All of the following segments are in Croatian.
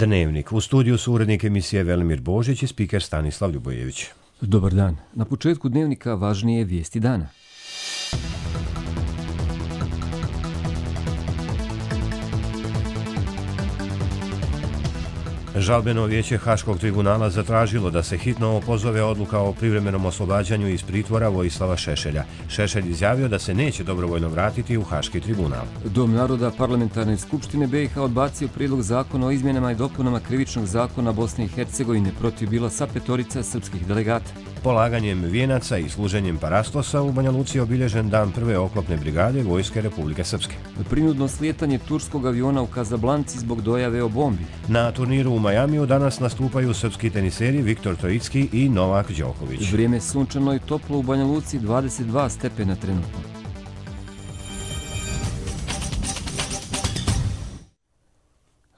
Dnevnik. U studiju su urednik emisije Velimir Božić i spiker Stanislav Ljubojević. Dobar dan. Na početku Dnevnika važnije vijesti dana. Žalbeno vijeće Haškog tribunala zatražilo da se hitno opozove odluka o privremenom oslobađanju iz pritvora Vojislava Šešelja. Šešelj izjavio da se neće dobrovoljno vratiti u Haški tribunal. Dom naroda Parlamentarne skupštine BiH odbacio prijedlog zakona o izmjenama i dopunama krivičnog zakona Bosne i Hercegovine protiv bila sa 5 srpskih delegata. Polaganjem vijenaca i služenjem parastosa u Banja Luci je obilježen dan prve oklopne brigade Vojske Republike Srpske. Prinudno slijetanje turskog aviona u Kazablanci zbog dojave o bombi. Na turniru u Majamiju danas nastupaju srpski teniseri Viktor Trojicki i Novak Đoković. Vrijeme sunčano i toplo u Banja Luci, 22 stepena trenutno.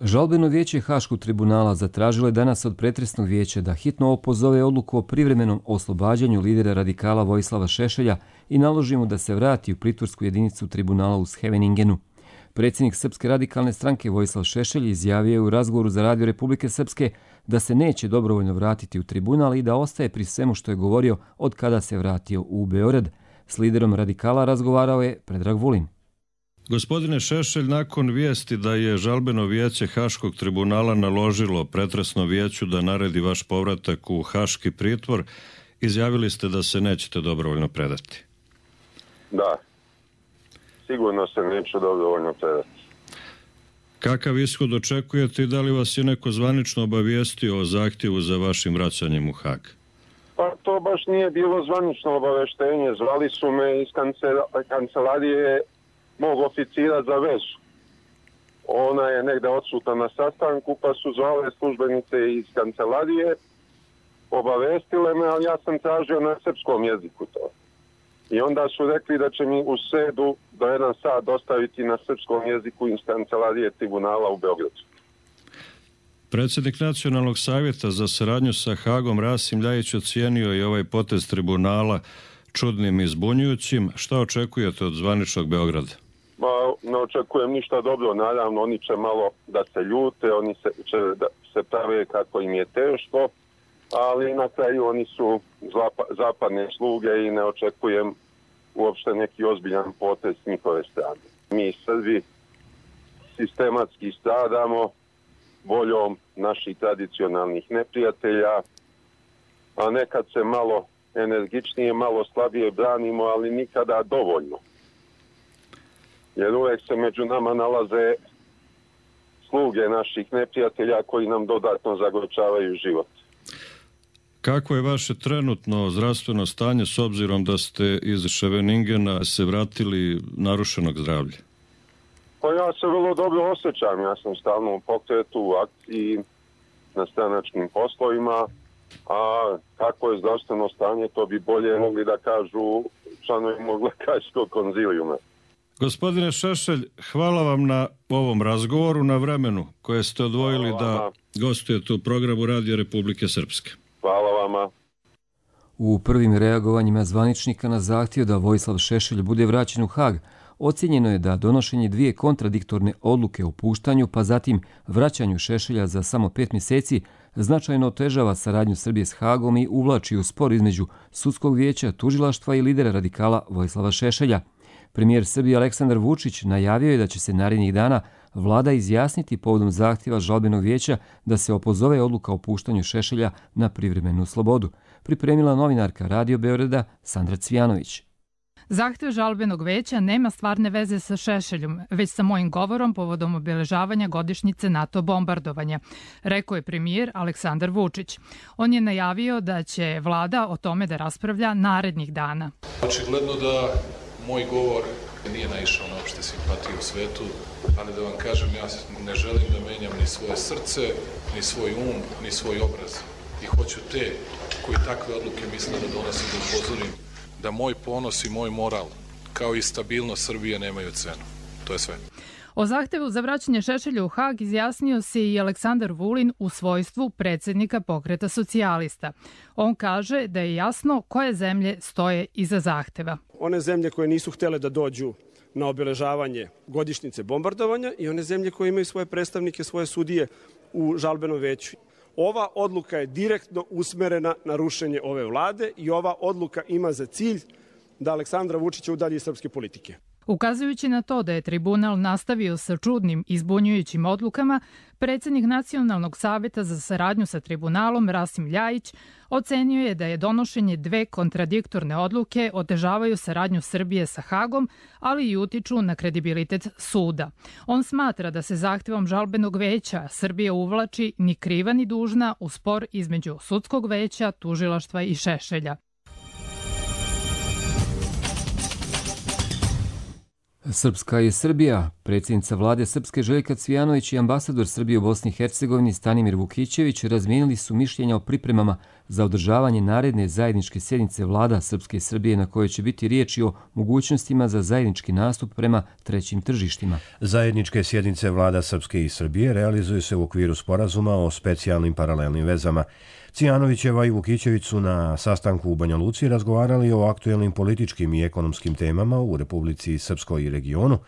Žalbeno vijeće Haškog tribunala zatražilo je danas od pretresnog vijeća da hitno opozove odluku o privremenom oslobađanju lidera radikala Vojislava Šešelja i naloži mu da se vrati u pritvorsku jedinicu tribunala u Scheveningenu. Predsjednik Srpske radikalne stranke Vojislav Šešelj izjavio je u razgovoru za Radio Republike Srpske da se neće dobrovoljno vratiti u tribunal i da ostaje pri svemu što je govorio od kada se vratio u Beograd. S liderom radikala razgovarao je Predrag Vulin. Gospodine Šešelj, nakon vijesti da je žalbeno vijeće Haškog tribunala naložilo pretresno vijeću da naredi vaš povratak u Haški pritvor, izjavili ste da se nećete dobrovoljno predati. Da, sigurno se neću dobrovoljno predati. Kakav ishod očekujete i da li vas je neko zvanično obavijestio o zahtjevu za vašim vraćanjem u Hag? Pa to baš nije bilo zvanično obaveštenje. Zvali su me iz kancelarije mog oficira za vezu. Ona je negde odsutna na sastanku, pa su zvale službenice iz kancelarije, obavestile me, ali ja sam tražio na srpskom jeziku to. I onda su rekli da će mi u sredu do 1 sat dostaviti na srpskom jeziku iz kancelarije tribunala u Beogradu. Predsjednik Nacionalnog savjeta za saradnju sa Hagom Rasim Ljajić ocijenio je ovaj potez tribunala čudnim i zbunjujućim. Šta očekujete od zvaničnog Beograda? Ne očekujem ništa dobro, naravno oni će malo da se ljute, oni će da se prave kako im je teško, ali na kraju oni su zapadne sluge i ne očekujem uopšte neki ozbiljan potez s njihove strane. Mi Srbi sistematski stradamo voljom naših tradicionalnih neprijatelja, a nekad se malo energičnije, malo slabije branimo, ali nikada dovoljno. Jer uvek se među nama nalaze sluge naših neprijatelja koji nam dodatno zagorčavaju život. Kako je vaše trenutno zdravstveno stanje s obzirom da ste iz Scheveningena se vratili narušenog zdravlja? Pa ja se vrlo dobro osjećam. Ja sam stalno u pokretu, u akciji, na stranačkim poslovima, a kako je zdravstveno stanje, to bi bolje mogli da kažu članovi mog lekarskog konzilijuma. Gospodine Šešelj, hvala vam na ovom razgovoru, na vremenu koje ste odvojili da gostujete u programu Radio Republike Srpske. Hvala vama. U prvim reagovanjima zvaničnika na zahtjev da Vojislav Šešelj bude vraćen u Hag, ocijenjeno je da donošenje 2 kontradiktorne odluke o puštanju, pa zatim vraćanju Šešelja za samo 5 mjeseci, značajno otežava saradnju Srbije s Hagom i uvlači u spor između sudskog vijeća, tužilaštva i lidera radikala Vojislava Šešelja. Premijer Srbije Aleksandar Vučić najavio je da će se narednih dana vlada izjasniti povodom zahtjeva žalbenog vijeća da se opozove odluka o puštanju Šešelja na privremenu slobodu. Pripremila novinarka Radio Beograda Sandra Cvijanović. Zahtjev žalbenog veća nema stvarne veze sa Šešeljom, već sa mojim govorom povodom obeležavanja godišnjice NATO bombardovanja, rekao je premijer Aleksandar Vučić. On je najavio da će vlada o tome da raspravlja narednih dana. Očigledno da moj govor nije naišao na opšte simpatije u svetu, ali da vam kažem, ja ne želim da menjam ni svoje srce, ni svoj um, ni svoj obraz. I hoću te koji takve odluke misle da donosim da upozorim da moj ponos i moj moral, kao i stabilnost Srbije, nemaju cenu. To je sve. O zahtevu za vraćanje Šešelja u Hag izjasnio se i Aleksandar Vulin u svojstvu predsjednika Pokreta socijalista. On kaže da je jasno koje zemlje stoje iza zahteva. One zemlje koje nisu htjele da dođu na obeležavanje godišnjice bombardovanja i one zemlje koje imaju svoje predstavnike, svoje sudije u žalbenom veću. Ova odluka je direktno usmerena na rušenje ove vlade i ova odluka ima za cilj da Aleksandra Vučića udalji iz srpske politike. Ukazujući na to da je tribunal nastavio sa čudnim i zbunjujućim odlukama, predsjednik Nacionalnog saveta za saradnju sa tribunalom Rasim Ljajić ocenio je da je donošenje dve kontradiktorne odluke otežavaju saradnju Srbije sa Hagom, ali i utiču na kredibilitet suda. On smatra da se zahtjevom žalbenog veća Srbija uvlači ni kriva ni dužna u spor između sudskog veća, tužilaštva i Šešelja. Srpska i Srbija. Predsjednica vlade Srpske Željka Cvijanović i ambasador Srbije u Bosni i Hercegovini Stanimir Vukićević razmijenili su mišljenja o pripremama za održavanje naredne zajedničke sjednice vlada Srpske i Srbije na kojoj će biti riječ o mogućnostima za zajednički nastup prema trećim tržištima. Zajedničke sjednice vlada Srpske i Srbije realizuju se u okviru sporazuma o specijalnim paralelnim vezama. Cvijanovićeva i Vukićević su na sastanku u Banja Luci razgovarali o aktuelnim političkim i ekonomskim temama u Republici Srpskoj i regionu,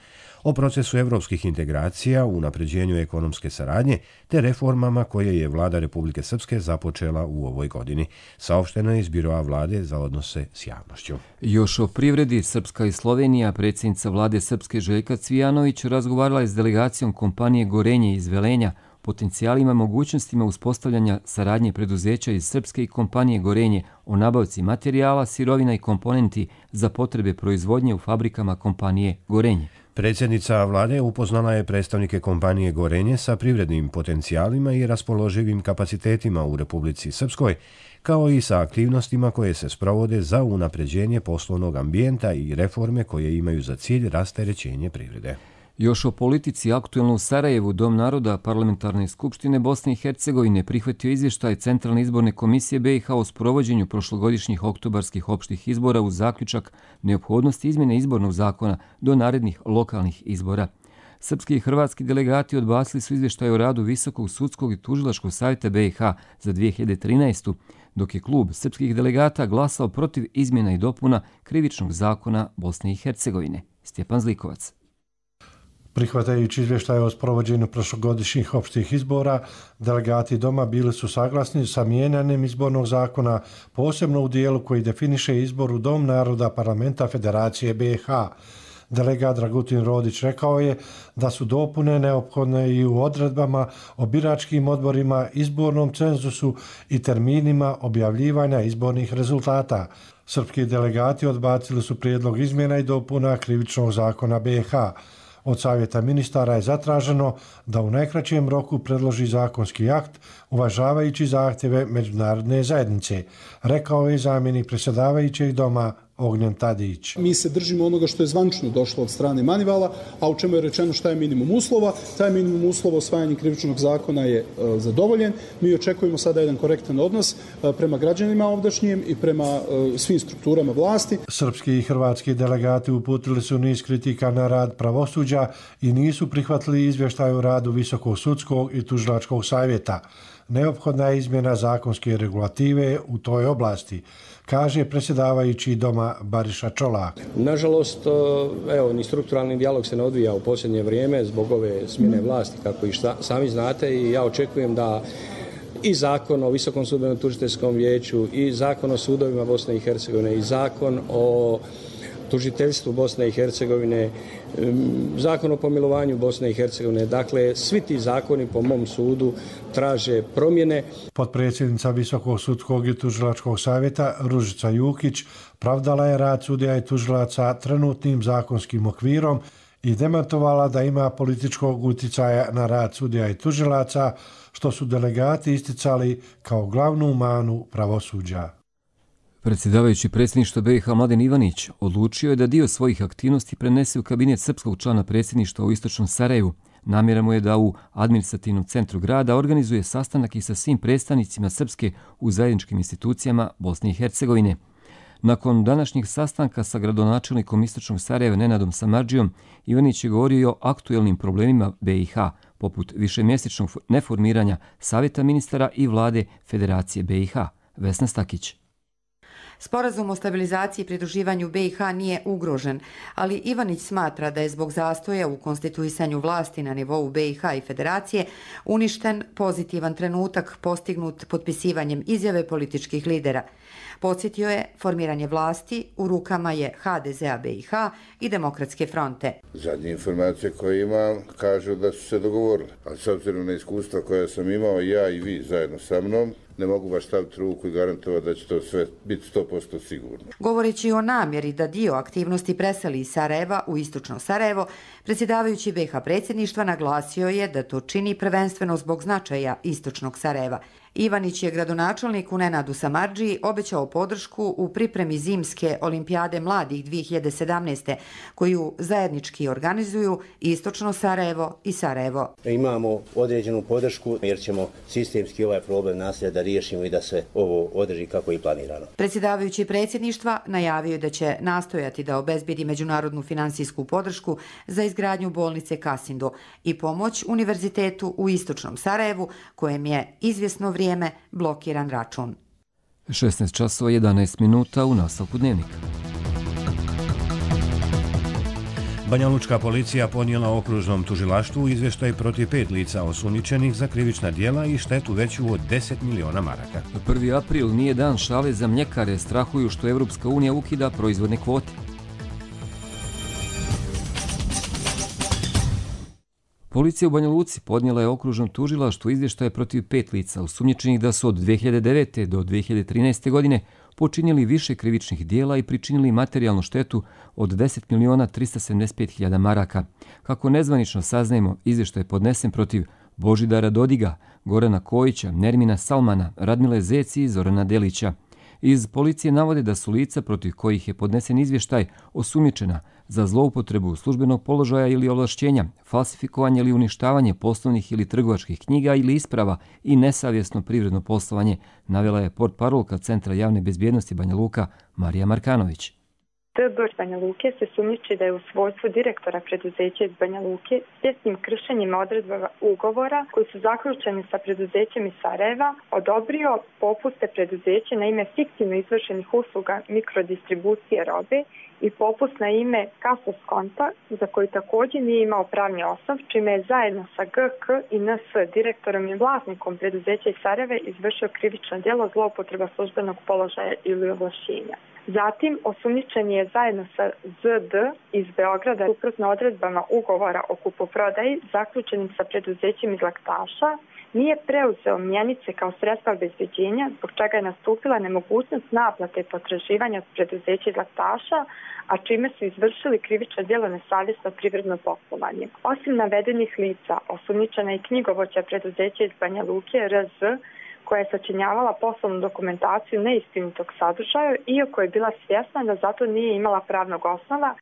o procesu evropskih integracija, unapređenju ekonomske saradnje te reformama koje je vlada Republike Srpske započela u ovoj godini. Saopšteno je iz Biroa vlade za odnose s javnošću. Još o privredi. Srpska i Slovenija. Predsjednica vlade Srpske Željka Cvijanović razgovarala je s delegacijom kompanije Gorenje iz Velenja, potencijalima i mogućnostima uspostavljanja saradnje preduzeća iz Srpske i kompanije Gorenje o nabavci materijala, sirovina i komponenti za potrebe proizvodnje u fabrikama kompanije Gorenje. Predsjednica vlade upoznala je predstavnike kompanije Gorenje sa privrednim potencijalima i raspoloživim kapacitetima u Republici Srpskoj, kao i sa aktivnostima koje se sprovode za unapređenje poslovnog ambijenta i reforme koje imaju za cilj rasterećenje privrede. Još o politici. Aktuelno u Sarajevu Dom naroda Parlamentarne skupštine Bosne i Hercegovine prihvatio izvještaj Centralne izborne komisije BiH o sprovođenju prošlogodišnjih oktobarskih opštih izbora uz zaključak neophodnosti izmjene izbornog zakona do narednih lokalnih izbora. Srpski i hrvatski delegati odbacili su izvještaj o radu Visokog sudskog i tužilačkog savjeta BiH za 2013. dok je klub srpskih delegata glasao protiv izmjena i dopuna krivičnog zakona Bosne i Hercegovine. Stjepan Zlikovac. Prihvatajući izvještaj o sprovođenju prošlogodišnjih opštih izbora, delegati Doma bili su saglasni sa mijenjanjem izbornog zakona, posebno u dijelu koji definiše izbor u Dom naroda Parlamenta Federacije BiH. Delegat Dragutin Rodić rekao je da su dopune neophodne i u odredbama o biračkim odborima, izbornom cenzusu i terminima objavljivanja izbornih rezultata. Srpski delegati odbacili su prijedlog izmjena i dopuna krivičnog zakona BiH. Od Savjeta ministara je zatraženo da u najkraćem roku predloži zakonski akt uvažavajući zahtjeve međunarodne zajednice, rekao je zamjenik predsjedavajućeg Doma Ognjen Tadić. Mi se držimo onoga što je zvančno došlo od strane Manivala, a u čemu je rečeno šta je minimum uslova. Taj minimum uslova osvajanjem krivičnog zakona je zadovoljen. Mi očekujemo sada jedan korektan odnos prema građanima ovdašnjim i prema svim strukturama vlasti. Srpski i hrvatski delegati uputili su niz kritika na rad pravosuđa i nisu prihvatili izvještaj o radu Visokog sudskog i tužilačkog savjeta. Neophodna je izmjena zakonske regulative u toj oblasti, kaže predsjedavajući Doma Bariša Čolak. Nažalost, ni strukturalni dijalog se ne odvija u posljednje vrijeme zbog ove smjene vlasti, kako i sami znate, i ja očekujem da i zakon o Visokom sudbenom tužiteljskom vijeću, i zakon o sudovima Bosne i Hercegovine, i zakon o tužiteljstvu Bosne i Hercegovine, zakon o pomilovanju Bosne i Hercegovine. Dakle, svi ti zakoni po mom sudu traže promjene. Potpredsjednica Visokog sudskog i tužilačkog savjeta Ružica Jukić pravdala je rad sudija i tužilaca trenutnim zakonskim okvirom i demantovala da ima političkog utjecaja na rad sudija i tužilaca, što su delegati isticali kao glavnu manu pravosuđa. Predsjedavajući predsjedništva BiH Mladen Ivanić odlučio je da dio svojih aktivnosti prenese u kabinet srpskog člana predsjedništva u istočnom Sarajevu. Namjera mu je da u administrativnom centru grada organizuje sastanak i sa svim predstavnicima Srpske u zajedničkim institucijama Bosne i Hercegovine. Nakon današnjeg sastanka sa gradonačelnikom istočnog Sarajeva Nenadom Samardžijom, Ivanić je govorio o aktuelnim problemima BiH, poput višemjesečnog neformiranja Savjeta ministara i vlade Federacije BiH. Vesna Stakić. Sporazum o stabilizaciji i pridruživanju BiH nije ugrožen, ali Ivanić smatra da je zbog zastoja u konstituisanju vlasti na nivou BiH i Federacije uništen pozitivan trenutak postignut potpisivanjem izjave političkih lidera. Podsjetio je, formiranje vlasti u rukama je HDZ-a BiH i Demokratske fronte. Zadnje informacije koje imam kažu da su se dogovorili, ali s obzirom na iskustva koje sam imao ja i vi zajedno sa mnom, ne mogu baš staviti ruku i garantovati da će to sve biti 100% sigurno. Govoreći o namjeri da dio aktivnosti preseli iz Sarajeva u istočno Sarajevo, predsjedavajući BiH predsjedništva naglasio je da to čini prvenstveno zbog značaja istočnog Sarajeva. Ivanić je gradonačelniku Nenadu Samardžiji obećao podršku u pripremi zimske olimpijade mladih 2017. koju zajednički organizuju istočno Sarajevo i Sarajevo. Imamo određenu podršku jer ćemo sistemski ovaj problem nasilja da riješimo i da se ovo održi kako je planirano. Predsjedavajući predsjedništva najavio je da će nastojati da obezbedi međunarodnu finansijsku podršku za izgradnju bolnice Kasindo i pomoć univerzitetu u istočnom Sarajevu kojem je izvjesno vrijeme blokiran račun. 16 časova 11 minuta u nastavku dnevnika. Banjalučka policija ponijela okružnom tužilaštvu izvještaj protiv 5 lica osumnjičenih za krivična djela i štetu veću od 10 miliona maraka. 1. april nije dan šale za mljekare, strahuju što Evropska unija ukida proizvodne kvote. Policija u Banja Luci podnijela je okružnom tužilaštvu izvještaje protiv 5 lica osumnjičenih da su od 2009. do 2013. godine počinili više krivičnih dijela i pričinili materijalnu štetu od 10.375.000 maraka. Kako nezvanično saznajemo, izvještaj je podnesen protiv Božidara Dodiga, Gorana Kojića, Nermina Salmana, Radmile Zeci i Zorana Delića. Iz policije navode da su lica protiv kojih je podnesen izvještaj osumnjičena za zloupotrebu službenog položaja ili ovlašćenja, falsifikovanje ili uništavanje poslovnih ili trgovačkih knjiga ili isprava i nesavjesno privredno poslovanje, navela je portparolka Centra javne bezbjednosti Banja Luka Marija Markanović. DB Banja Luke se sumnjiči da je u svojstvu direktora preduzeća iz Banja Luke svjesnim kršenjima odredba ugovora koji su zaključeni sa preduzećem iz Sarajeva odobrio popuste preduzeće na ime fiktivno izvršenih usluga mikrodistribucije robe i popust na ime Kasa Skonta za koji također nije imao pravni osnov, čime je zajedno sa GK i NS direktorom i vlasnikom preduzeća iz Sarajeva izvršio krivično djelo zloupotreba službenog položaja ili ovlašćenja. Zatim, osumnjičen je zajedno sa ZD iz Beograda suprotno odredbama ugovora o kupoprodaji zaključenim sa preduzećem iz Laktaša, nije preuzeo mjenice kao sredstva obezbeđenja, zbog čega je nastupila nemogućnost naplate potraživanja od preduzeća iz Laktaša, a čime su izvršili krivično djelo nesavjesno privredno poslovanje. Osim navedenih lica, osumnjičena je knjigovođa preduzeća iz Banja Luke RZ, koja je sačinjavala poslovnu dokumentaciju neistinitog sadržaja, iako je bila svjesna da zato nije imala pravnog osnova.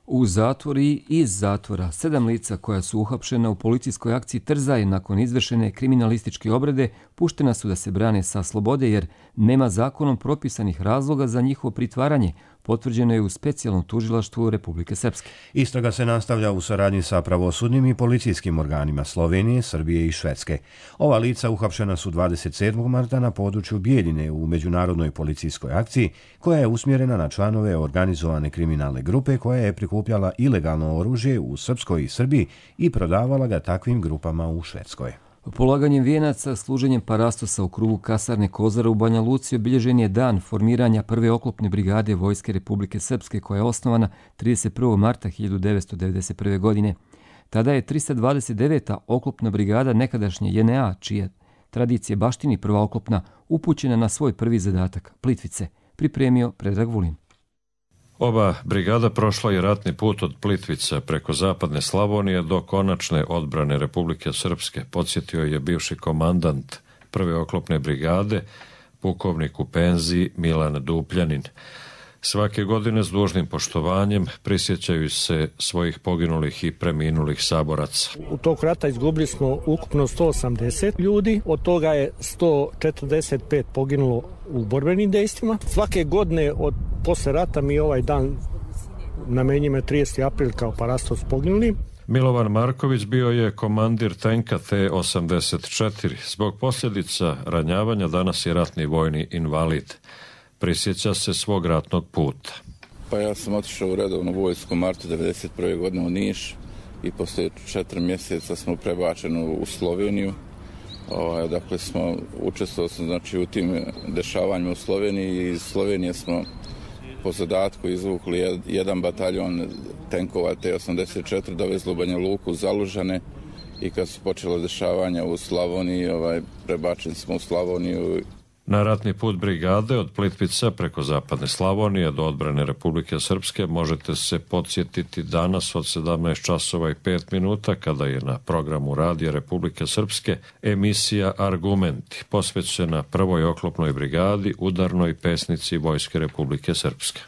U zatvor i iz zatvora 7 lica koja su uhapšena u policijskoj akciji Trzaj nakon izvršene kriminalističke obrade puštena su da se brane sa slobode jer nema zakonom propisanih razloga za njihovo pritvaranje, potvrđeno je u specijalnom tužilaštvu Republike Srpske. Istraga se nastavlja u saradnji sa pravosudnim i policijskim organima Slovenije, Srbije i Švedske. Ova lica uhapšena su 27. marta na području Bijeljine u međunarodnoj policijskoj akciji koja je usmjerena na članove organizovane kriminalne grupe koja je prikupljala ilegalno oružje u Srpskoj i Srbiji i prodavala ga takvim grupama u Švedskoj. Polaganjem vijenaca, služenjem parastosa u krugu kasarne Kozara u Banja Luci obilježen je dan formiranja prve oklopne brigade Vojske Republike Srpske koja je osnovana 31. marta 1991. godine. Tada je 329. oklopna brigada nekadašnje JNA, čije tradicije baštini prva oklopna, upućena na svoj prvi zadatak, Plitvice, pripremio Predrag Vulin. Ova brigada prošla je ratni put od Plitvica preko zapadne Slavonije do konačne odbrane Republike Srpske, podsjetio je bivši komandant prve oklopne brigade, pukovnik u penziji Milan Dupljanin. Svake godine s dužnim poštovanjem prisjećaju se svojih poginulih i preminulih saboraca. U tog rata izgubili smo ukupno 180 ljudi, od toga je 145 poginulo u borbenim dejstvima. Svake godine od posle rata mi ovaj dan namenjujemo 30. april kao parastos poginuli. Milovan Marković bio je komandir tenka T-84. Zbog posljedica ranjavanja danas je ratni vojni invalid. prisjeća se svog ratnog puta. Pa ja sam otišao u redovnu vojsku u martu 1991. godine u Niš i poslije 4 mjeseca smo prebačeni u Sloveniju. Dakle, učestvovali smo znači, u tim dešavanjima u Sloveniji i iz Slovenije smo po zadatku izvukli jedan bataljon tenkova T-84, dovezli u Banja Luku, u Zalužane i kad su počela dešavanja u Slavoniji, prebačeni smo u Slavoniju. Na ratni put brigade od Plitvica preko zapadne Slavonije do odbrane Republike Srpske možete se podsjetiti danas od 17 časova i 5 minuta kada je na programu Radija Republike Srpske emisija Argumenti posvećena prvoj oklopnoj brigadi, udarnoj pesnici Vojske Republike Srpske.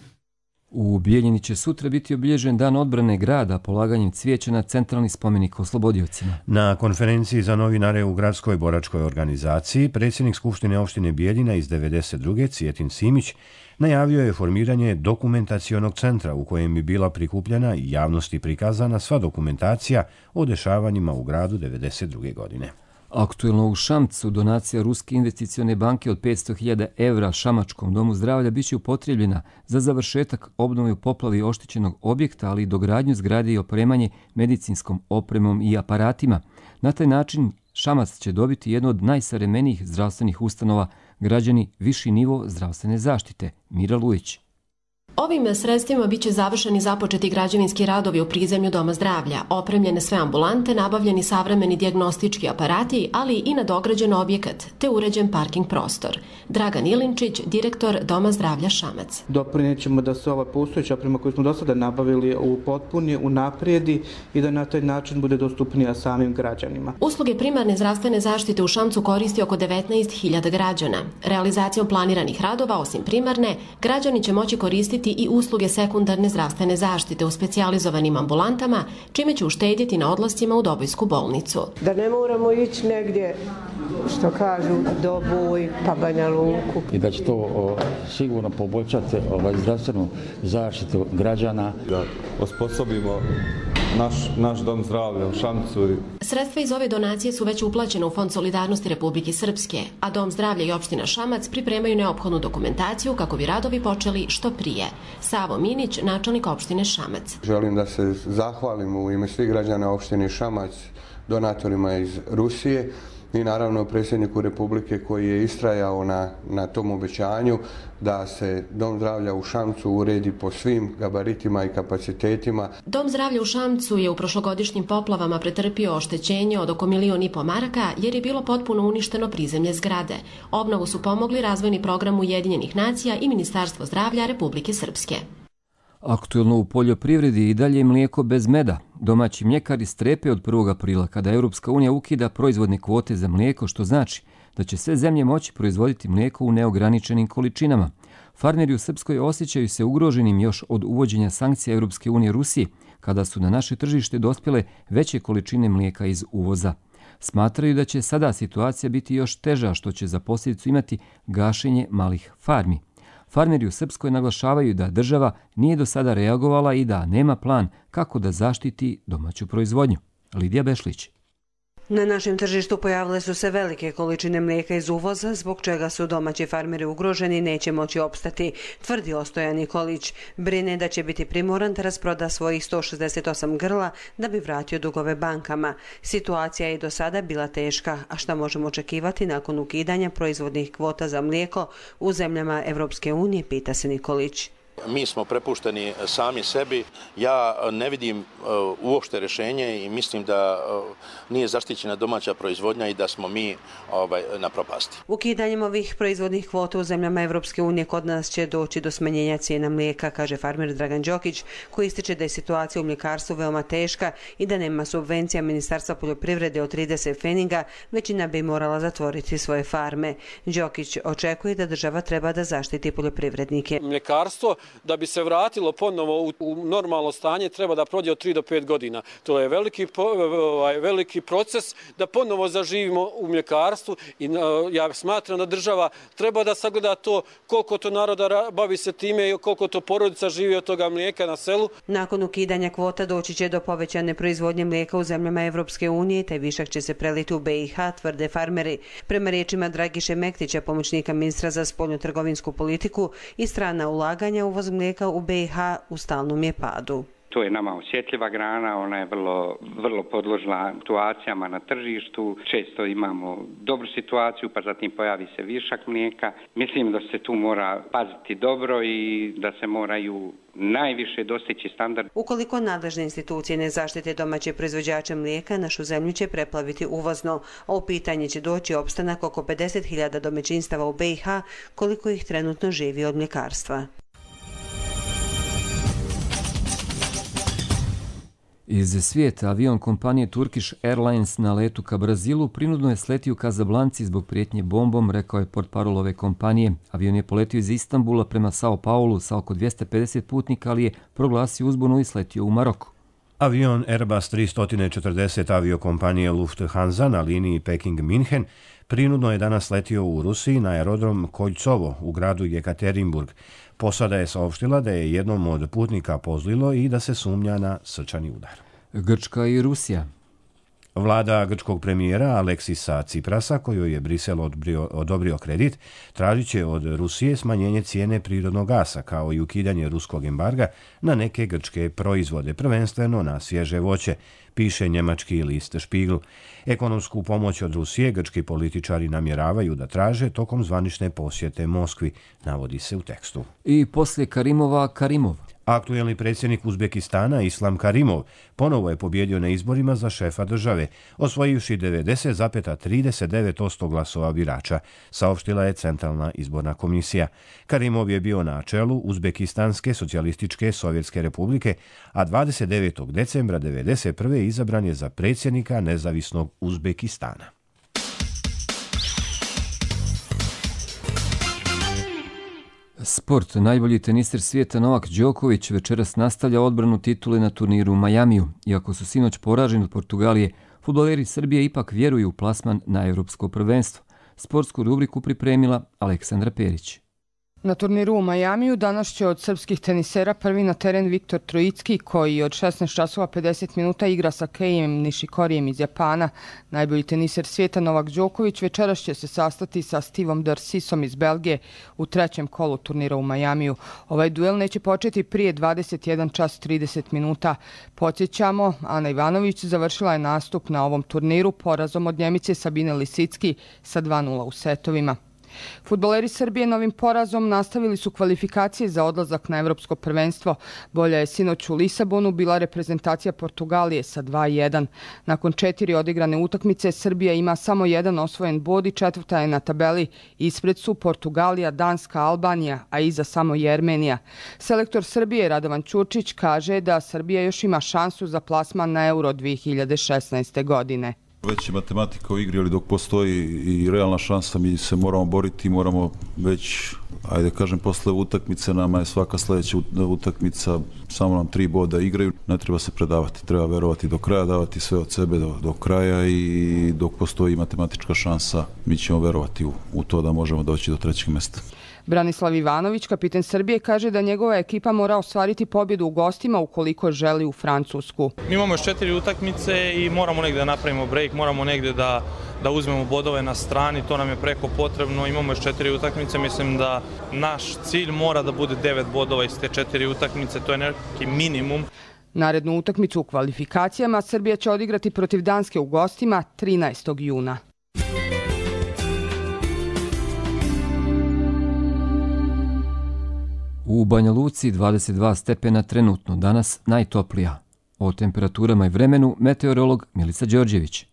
U Bijeljini će sutra biti obilježen dan odbrane grada polaganjem cvijeća na centralni spomenik oslobodiocima. Na konferenciji za novinare u gradskoj boračkoj organizaciji predsjednik Skupštine opštine Bijeljina iz 92. Cijetin Simić najavio je formiranje dokumentacionog centra u kojem bi bila prikupljena i javnosti prikazana sva dokumentacija o dešavanjima u gradu 92. godine. Aktuelno u Šamcu donacija Ruske investicione banke od 500.000 evra Šamačkom domu zdravlja biće upotrijebljena za završetak obnove u poplavi oštećenog objekta, ali i dogradnju zgrade i opremanje medicinskom opremom i aparatima. Na taj način Šamac će dobiti jednu od najsavremenijih zdravstvenih ustanova, građani viši nivo zdravstvene zaštite. Mira Lujić. Ovim sredstvima biće završeni započeti građevinski radovi u prizemlju Doma zdravlja, opremljene sve ambulante, nabavljeni savremeni dijagnostički aparati, ali i nadograđen objekat, te uređen parking prostor. Dragan Ilinčić, direktor Doma zdravlja Šamac. Doprinijet ćemo da se ova postojeća oprema koju smo do sada nabavili upotpuni, unaprijedi i da na taj način bude dostupnija samim građanima. Usluge primarne zdravstvene zaštite u Šamcu koristi oko 19.000 građana. Realizacijom planiranih radova, osim primarne, građani će moći koristiti i usluge sekundarne zdravstvene zaštite u specijalizovanim ambulantama, čime će uštedjeti na odlascima u Dobojsku bolnicu. Da ne moramo ići negdje, što kažu, Doboj pa Banja Luku. I da će to sigurno poboljšati zdravstvenu zaštitu građana. Da osposobimo naš dom zdravlja u Šamcu. Sredstva iz ove donacije su već uplaćene u Fond solidarnosti Republike Srpske, a Dom zdravlja i opština Šamac pripremaju neophodnu dokumentaciju kako bi radovi počeli što prije. Savo Minić, načelnik opštine Šamac. Želim da se zahvalim u ime svih građana opštine Šamac donatorima iz Rusije i naravno predsjedniku Republike koji je istrajao na tom obećanju da se Dom zdravlja u Šamcu uredi po svim gabaritima i kapacitetima. Dom zdravlja u Šamcu je u prošlogodišnjim poplavama pretrpio oštećenje od oko 1,5 miliona maraka jer je bilo potpuno uništeno prizemlje zgrade. Obnovu su pomogli razvojni program Ujedinjenih nacija i Ministarstvo zdravlja Republike Srpske. Aktuelno u poljoprivredi i dalje mlijeko bez meda. Domaći mljekari strepe od 1. aprila kada Europska unija ukida proizvodne kvote za mlijeko, što znači da će sve zemlje moći proizvoditi mlijeko u neograničenim količinama. Farmeri u Srpskoj osjećaju se ugroženim još od uvođenja sankcija Europske unije Rusiji, kada su na naše tržište dospjele veće količine mlijeka iz uvoza. Smatraju da će sada situacija biti još teža, što će za posljedicu imati gašenje malih farmi. Farmeri u Srpskoj naglašavaju da država nije do sada reagovala i da nema plan kako da zaštiti domaću proizvodnju. Lidija Bešlić. Na našem tržištu pojavile su se velike količine mlijeka iz uvoza, zbog čega su domaći farmeri ugroženi i neće moći opstati, tvrdi Ostojan Nikolić. Brine da će biti primoran da rasproda svojih 168 grla da bi vratio dugove bankama. Situacija je i do sada bila teška, a šta možemo očekivati nakon ukidanja proizvodnih kvota za mlijeko u zemljama Evropske unije, pita se Nikolić. Mi smo prepušteni sami sebi. Ja ne vidim uopšte rješenje i mislim da nije zaštićena domaća proizvodnja i da smo mi na propasti. Ukidanjem ovih proizvodnih kvota u zemljama Evropske unije kod nas će doći do smanjenja cijena mlijeka, kaže farmer Dragan Đokić, koji ističe da je situacija u mljekarstvu veoma teška i da nema subvencija Ministarstva poljoprivrede od 30 pfeninga, većina bi morala zatvoriti svoje farme. Đokić očekuje da država treba da zaštiti poljoprivrednike. Mljekarstvo da bi se vratilo ponovo u normalno stanje treba da prođe od 3 do 5 godina. To je veliki proces da ponovo zaživimo u mljekarstvu i ja smatram da država treba da sagleda to koliko to naroda bavi se time i koliko to porodica živi od toga mlijeka na selu. Nakon ukidanja kvota doći će do povećane proizvodnje mlijeka u zemljama Evropske unije, te višak će se preliti u BiH, tvrde farmeri. Prema riječima Dragiše Mektića, pomoćnika ministra za spoljnotrgovinsku politiku, i strana ulaganja uvoz mlijeka u BiH u stalnom je padu. To je nama osjetljiva grana, ona je vrlo podložna situacijama na tržištu. Često imamo dobru situaciju, pa zatim pojavi se višak mlijeka. Mislim da se tu mora paziti dobro i da se moraju najviše dostići standard. Ukoliko nadležne institucije ne zaštite domaće proizvođače mlijeka, našu zemlju će preplaviti uvozno, a u pitanje će doći opstanak oko 50.000 domaćinstava u BiH, koliko ih trenutno živi od mljekarstva. Iz svijeta avion kompanije Turkish Airlines na letu ka Brazilu prinudno je sletio u Kazablanci zbog prijetnje bombom, rekao je portparol ove kompanije. Avion je poletio iz Istanbula prema Sao Paulu sa oko 250 putnika, ali je proglasio uzbunu i sletio u Maroku. Avion Airbus 340 aviokompanije Lufthansa na liniji Peking-Minhen prinudno je danas letio u Rusiji na aerodrom Koljcovo u gradu Jekaterinburg. Posada je saopštila da je jednom od putnika pozlilo i da se sumnja na srčani udar. Grčka i Rusija. Vlada grčkog premijera Aleksisa Ciprasa, kojoj je Brisel odobrio kredit, tražit će od Rusije smanjenje cijene prirodnog gasa, kao i ukidanje ruskog embarga na neke grčke proizvode, prvenstveno na svježe voće, piše njemački list Spiegel. Ekonomsku pomoć od Rusije grčki političari namjeravaju da traže tokom zvanične posjete Moskvi, navodi se u tekstu. I poslije Karimova, Karimov. Aktuelni predsjednik Uzbekistana Islam Karimov ponovo je pobjedio na izborima za šefa države, osvojivši 90,39% glasova birača, saopštila je Centralna izborna komisija. Karimov je bio na čelu Uzbekistanske socijalističke Sovjetske republike, a 29. decembra 1991. izabran je za predsjednika nezavisnog Uzbekistana. Sport. Najbolji teniser svijeta Novak Đoković večeras nastavlja odbranu titule na turniru u Majamiju. Iako su sinoć poraženi od Portugalije, fudbaleri Srbije ipak vjeruju u plasman na Europsko prvenstvo. Sportsku rubriku pripremila Aleksandra Perić. Na turniru u Majamiju danas će od srpskih tenisera prvi na teren Viktor Trojicki, koji od 16 časova 50 minuta igra sa Keijem Nishikorijem iz Japana. Najbolji teniser svijeta Novak Đoković večeras će se sastati sa Stevom Darcisom iz Belgije u trećem kolu turnira u Majamiju. Ovaj duel neće početi prije 21 čas 30 minuta. Podsjećamo, Ana Ivanović završila je nastup na ovom turniru porazom od Njemice Sabine Lisicki sa 2:0 u setovima. Fudbaleri Srbije novim porazom nastavili su kvalifikacije za odlazak na Evropsko prvenstvo. Bolja je sinoć u Lisabonu bila reprezentacija Portugalije sa 2:1. Nakon 4 odigrane utakmice Srbija ima samo jedan osvojen bod i četvrta je na tabeli. Ispred su Portugalija, Danska, Albanija, a iza samo Jermenija. Selektor Srbije Radovan Ćurčić kaže da Srbija još ima šansu za plasman na Euro 2016. godine. Već je matematika u igri, ali dok postoji i realna šansa, mi se moramo boriti, moramo već, ajde kažem, posle utakmice, nama je svaka sljedeća utakmica, samo nam 3 boda igraju, ne treba se predavati, treba verovati do kraja, davati sve od sebe do kraja i dok postoji matematička šansa, mi ćemo verovati u to da možemo doći do 3. mjesta. Branislav Ivanović, kapiten Srbije, kaže da njegova ekipa mora ostvariti pobjedu u gostima ukoliko želi u Francusku. Mi imamo još 4 utakmice i moramo negdje da napravimo break, moramo negdje da uzmemo bodove na strani, to nam je preko potrebno. Imamo još 4 utakmice, mislim da naš cilj mora da bude 9 bodova iz te 4 utakmice, to je neki minimum. Narednu utakmicu u kvalifikacijama Srbija će odigrati protiv Danske u gostima 13. juna. U Banja Luci 22 stepena trenutno, danas najtoplija. O temperaturama i vremenu meteorolog Milica Đorđević.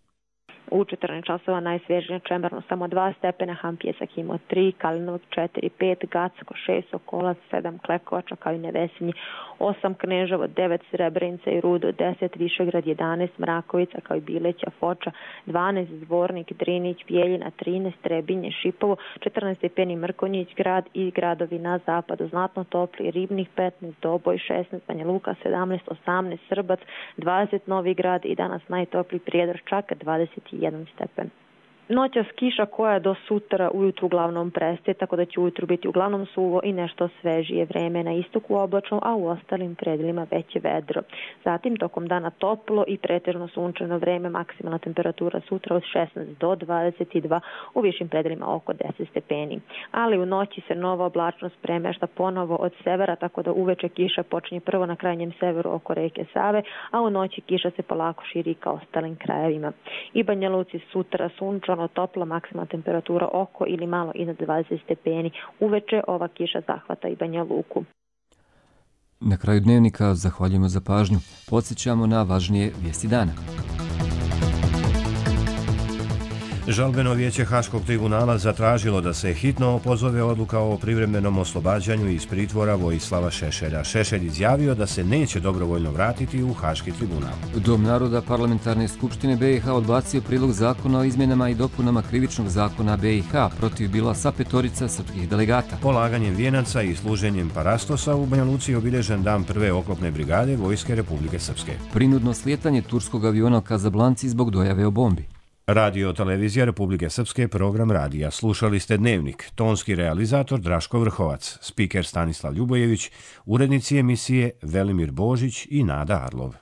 U 14 časova najsvježije Čemerno samo 2 stepena, Hampjesak imao 3, Kalinovak 4, 5, Gacko 6, Sokolac 7, Klekovača kao i Nevesinji 8, Kneževo 9, Srebrenica i Rudo 10, Višegrad 11, Mrakovica kao i Bileća, Foča 12, Zvornik, Drinić, Bijeljina 13, Trebinje, Šipovo 14 stepeni, Mrkonjić grad i gradovi na zapadu znatno topli, Ribnik 15, Doboj 16, Banja Luka 17, 18, Srbac 20, Novi Grad i danas najtopliji Prijedor čak 21 stepen. Noćas kiša koja do sutra ujutru uglavnom prestaje, tako da će ujutru biti uglavnom suvo i nešto svežije vreme, na istoku oblačno, a u ostalim predelima veće vedro. Zatim tokom dana toplo i pretežno sunčano vreme, maksimalna temperatura sutra od 16 do 22, u višim predelima oko 10 stepeni. Ali u noći se nova oblačnost premešta ponovo od severa, tako da uveče kiša počinje prvo na krajnjem severu oko reke Save, a u noći kiša se polako širi ka ostalim krajevima. I Banja Luci sutra sunčano, topla, maksimalna temperatura oko ili malo iznad 20 stepeni. Uveče ova kiša zahvata i Banja Luku. Na kraju dnevnika zahvaljujemo za pažnju. Podsjećamo na važnije vijesti dana. Žalbeno vijeće Haškog tribunala zatražilo da se hitno opozove odluka o privremenom oslobađanju iz pritvora Vojislava Šešelja. Šešelj izjavio da se neće dobrovoljno vratiti u Haški tribunal. Dom naroda Parlamentarne skupštine BiH odbacio prilog zakona o izmjenama i dopunama krivičnog zakona BiH. Protiv bila sa 5 srpskih delegata. Polaganjem vijenaca i služenjem parastosa u Banja Luci obilježen dan prve oklopne brigade Vojske Republike Srpske. Prinudno slijetanje turskog aviona u Kazablanci zbog dojave o bombi. Radio Televizija Republike Srpske, program radija. Slušali ste Dnevnik. Tonski realizator Draško Vrhovac, spiker Stanislav Ljubojević, urednici emisije Velimir Božić i Nada Arlov.